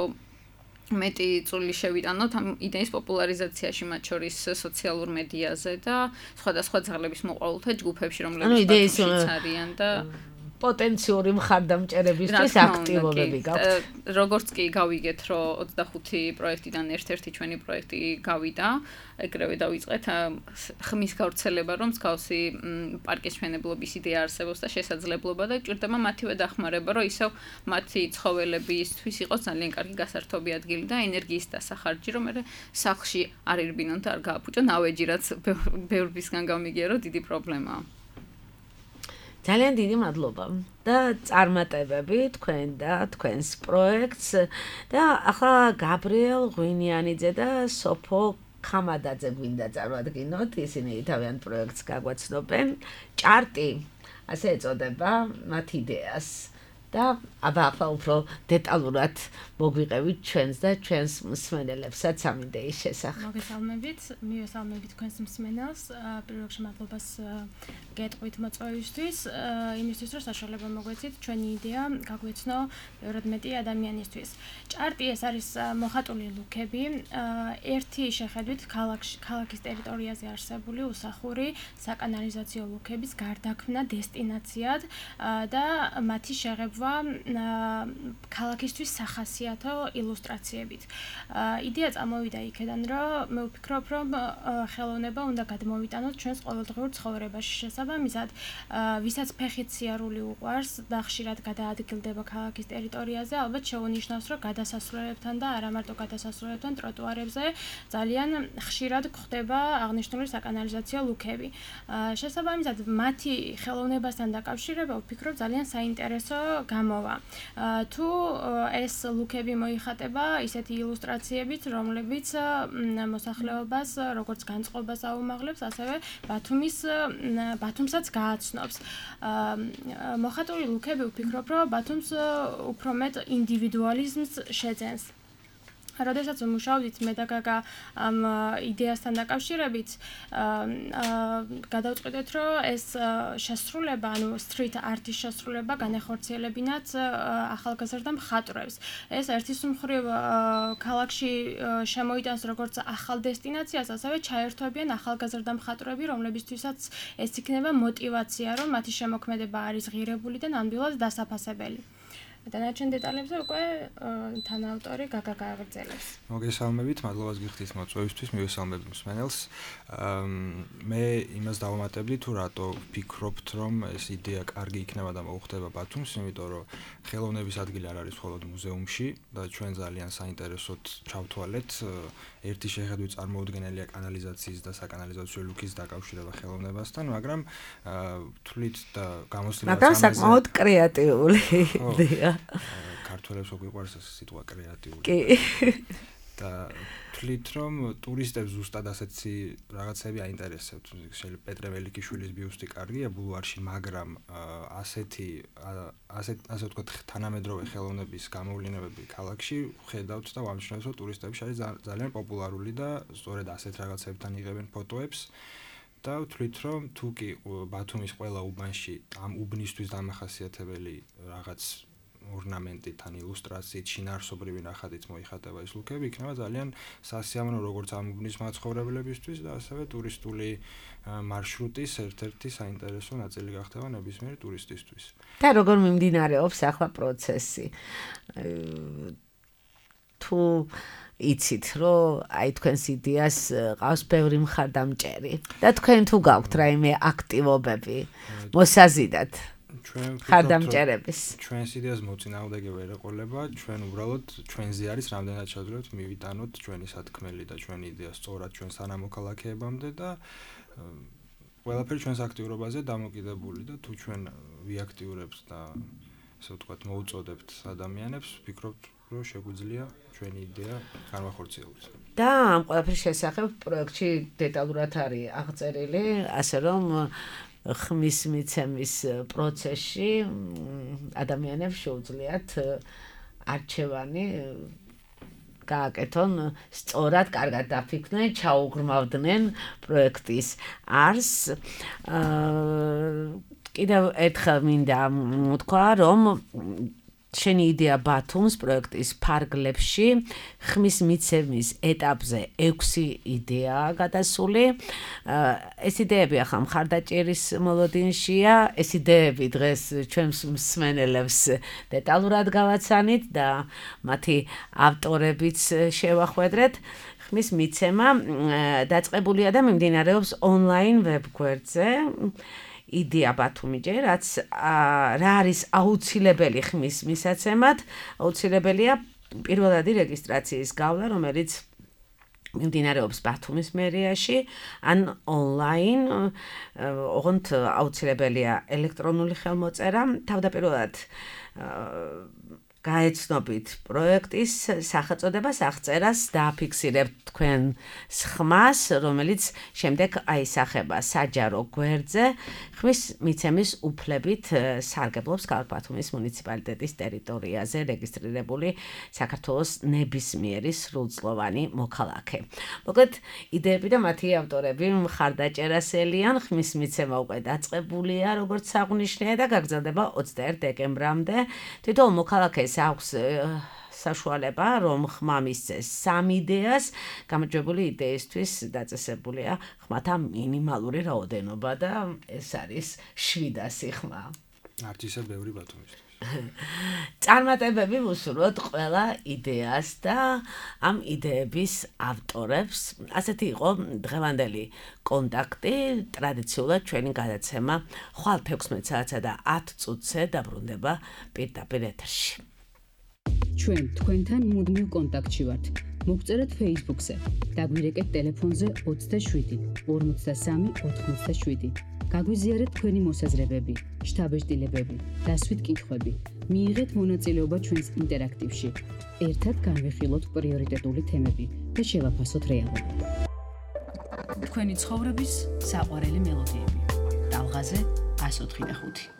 მეტი წვლილი შევიტანოთ ამ იდეის პოპულარიზაციაში, მათ შორის სოციალურ მედიაზე და სხვადასხვა ძაღლების მოყვარულთა ჯგუფებში, რომლებიც პატრონშიც არიან და პოტენციური მხარდამჭერებისთვის აქტივობები გაქვთ. როგორც კი გავიგეთ, რომ ოცდახუთი პროექტიდან ერთ-ერთი ჩვენი პროექტი გავიდა, ეგრევე დავიწყეთ ხმის გავრცელება, რომ მსგავსი პარკის მშენებლობის იდეა არსებობს და შესაძლებლობა და გვჭირდება მათივე დახმარება, რომ ისევ მათი ცხოველებისთვის იყოს ძალიან კარგი გასართობი ადგილი და ენერგიის დასახარჯი, რომ მე სახლში არ ირბინონ და არ გააფუჭონ ავეჯი, რაც ბევრისგან გამიგია, რომ დიდი პრობლემაა. ძალიან დიდი მადლობა და წარმატებები თქვენ და თქვენს პროექტს და ახლა გაბრიელ ღვინიანიძე და სოფო ხამადაძე გვინდა წარმოადგინოთ, ისინი თავიანთ პროექტს გაგვაცნობენ. ჭარტი, ასე ეწოდება მათ იდეას და აბა ახლა უფრო დეტალურად მოგვიყევით ჩვენს და ჩვენს მსმენელებსაც ამ იდეის შესახებ. მოგესალმებით, მივესალმებით თქვენს მსმენელს, პირველ რიგში მადლობას გეტყვით მოწვევისთვის, იმისთვის რომ საშუალება მოგვეცით ჩვენი იდეა გაგვეცნო ბევრად მეტი ადამიანისთვის. ჭარტი ეს არის მოხატული ლუქები, ერთი შეხედვით ქალაქის ტერიტორიაზე არსებული უსახური საკანალიზაციო ლუქების გარდაქმნა დესტინაციად და მათი შეღებვა ქალაქისთვის სახასიათო ილუსტრაციებით. იდეა წამოვიდა იქედან, რომ მე ვფიქრობ, რომ ხელოვნება უნდა გადმოვიტანოთ ჩვენს ყოველდღიურ ცხოვრებაში. შესაბამისად, ვისაც ფეხით სიარული უყვარს და ხშირად გადაადგილდება ქალაქის ტერიტორიაზე, ალბათ შეუნიშნავს, რომ გადასასვლელებთან და არა მარტო გადასასვლელებთან ტროტუარებზე ძალიან ხშირად გვხდება აღნიშნული საკანალიზაციო ლუქები. შესაბამისად, მათი ხელოვნებასთან დაკავშირება ვფიქრობ ძალიან საინტერესო გამოვა. თუ ეს ლუქები მოიხატება ისეთი ილუსტრაციებით, რომლებიც მოსახლეობას როგორც განწყობას აუმაღლებს, ასევე ბათუმის ბათუმსაც გააცნობს. მოხატული ლუქები ვფიქრობ, რომ ბათუმს უფრო მეტ ინდივიდუალიზმს შეძენს. როდესაც ვმუშაობდით მე და გაგა ამ იდეასთან დაკავშირებით, გადავწყვეტეთ, რომ ეს შესრულება, ანუ street art-ის შესრულება განახორციელებინათ ახალგაზრდა მხატვრებს. ეს ერთის მხრივ ქალაქში შემოიტანს როგორც ახალ დესტინაციას, ასევე ჩაერთვებიან ახალგაზრდა მხატვრები, რომლებისთვისაც ეს იქნება мотиваცია, რომ მათი შემოქმედება არის ღირებული და ნამდვილად დასაფასებელი. დანარჩენ დეტალებზე უკვე თანაავტორი გაგა გააგრძელებს. მოგესალმებით, მადლობას გიხდით მოწვევისთვის, მივესალმებით მსმენელს. მე იმას დავამატებდი, თუ რატო ვფიქრობთ, რომ ეს იდეა კარგი იქნება და მოუხდება ბათუმს, იმიტომ რომ ხელოვნების ადგილი არ არის მხოლოდ მუზეუმში და ჩვენ ძალიან საინტერესოდ ჩავთვალეთ ერთი შეხედვით წარმოუდგენელია კანალიზაციის და საკანალიზაციო ლუქის დაკავშირება ხელოვნებასთან, მაგრამ თვლით და გამოსვლით მაგრამ საკმაოდ კრეატიული იდეა. ქართველებს უყვარს ეს სიტყვა კრეატიული. კი. და თვლით რომ ტურისტებს ზუსტად ასეთი რაღაცები აინტერესებთ. შეიძლება პეტრე ველიკიშვილის ბიუსტი კარგია ბულვარში, მაგრამ ასეთი ასეთ ასე ვთქვათ თანამედროვე ხელოვნების გამოვლენებები ქალაქში ხედავთ და ვამჩნევთ, რომ ტურისტებში არის ძალიან პოპულარული და სწორედ ასეთ რაღაცებთან იღებენ ფოტოებს. და ვთვლით რომ თუ კი ბათუმის ყველა უბანში ამ უბნისთვის დამახასიათებელი რაღაც ორნამენტით, ან ილუსტრაციით, შინაარსობრივი ნახატით მოიხატება ეს ლუკები, იქნება ძალიან სასიამოვნო როგორც ამუბნის მაცხოვრებლებისთვის და ასევე ტურისტული მარშრუტის ერთ-ერთი საინტერესო ნაწილი გახდება ნებისმიერი ტურისტისთვის. და როგორ მიმდინარეობს ახლა პროცესი? თუ იცით, რომ აი თქვენს იდეას ყავს ბევრი მხარდამჭერი და თქვენ თუ გაქვთ რაიმე აქტივობები მოსაზიდად მხარდამჭერების. ჩვენს იდეას მოწინააღმდეგე ვერ ეყოლება, ჩვენ უბრალოდ ჩვენზე არის რამდენად შეძლებთ მივიტანოთ ჩვენი სათქმელი და ჩვენი იდეა სწორად ჩვენ სანამოქალაქეებამდე და ყველაფერი ჩვენს აქტიურობაზე დამოკიდებული და თუ ჩვენ ვიაქტიურებთ და ასე ვთქვათ მოუწოდებთ ადამიანებს, ვფიქრობთ რომ შეგვიძლია ჩვენი იდეა განვახორციელოთ. და ამ ყველაფრის შესახებ პროექტში დეტალურად არის აღწერილი, ასე რომ ხმის მიცემის პროცესში ადამიანებს შეუძლიათ არჩევანი გააკეთონ სწორად, კარგად დაფიქრდნენ, ჩაუღრმავდნენ პროექტის არსს. კიდევ ერთხელ მინდა ვთქვა, რომ შენი იდეა ბათუმს პროექტის ფარგლებში ხმის მიცემის ეტაპზე ექვსი იდეაა გადასული. ეს იდეები ახლა მხარდაჭერის მოლოდინშია, ეს იდეები დღეს ჩვენს მსმენელებს დეტალურად გავაცანით და მათი ავტორებიც შევახვედრეთ. ხმის მიცემა დაწყებულია და მიმდინარეობს ონლაინ ვებგვერდზე. იდეა ბათუმიჯე, რაც რა არის აუცილებელი ხმის მისაცემად, აუცილებელია პირველადი რეგისტრაციის გავლა, რომელიც მიმდინარეობს ბათუმის მერიაში, ან ონლაინ, ოღონდ აუცილებელია ელექტრონული ხელმოწერა, თავდაპირველად გაეცნობით პროექტის სახელწოდებას, აღწერას დააფიქსირებთ თქვენ ხმას, რომელიც შემდეგ აისახება საჯარო გვერდზე ხმის მიცემის უფლებით სარგებლობს ქალაქ ბათუმის მუნიციპალიტეტის ტერიტორიაზე რეგისტრირებული საქართველოს ნებისმიერი სრულწლოვანი მოქალაქე. მოკლედ, იდეები და მათი ავტორები მხარდაჭერასელიან, ხმის მიცემა უკვე დაწყებულია, როგორც აღნიშნე და გაგრძელდება ოცდაერთ დეკემბრამდე. თითოეულ მოქალაქეს აქვს საშუალება, რომ ხმა მისცეს სამ იდეას, გამარჯვებული იდეისთვის დაწესებულია ხმათა მინიმალური რაოდენობა და ეს არის შვიდასი ხმა. არც ისე ბევრი ბათუმისთვის. წარმატებები ვუსურვოთ ყველა იდეას და ამ იდეების ავტორებს. ასეთი იყო დღევანდელი კონტაქტი, ტრადიციულად ჩვენი გადაცემა ხვალ თექვსმეტ საათსა და ათ წუთზე დაბრუნდება პირდაპირ ეთერში. ჩვენ თქვენთან მუდმივ კონტაქტში ვართ. მოგწერეთ Facebook-ზე, დაგვირეკეთ ტელეფონზე ოცდაშვიდი ორმოცდასამი ოთხმოცდაშვიდი. გაგვიზიარეთ თქვენი მოსაზრებები, შთაბეჭდილებები, დასვით კითხვები. მიიღეთ მონაწილეობა ჩვენს ინტერაქტივში. ერთად განვიხილოთ პრიორიტეტული თემები და შევაფასოთ რეალობა. თქვენი ცხოვრების საყვარელი მელოდიები. ტალღაზე ას ოთხი და ხუთი.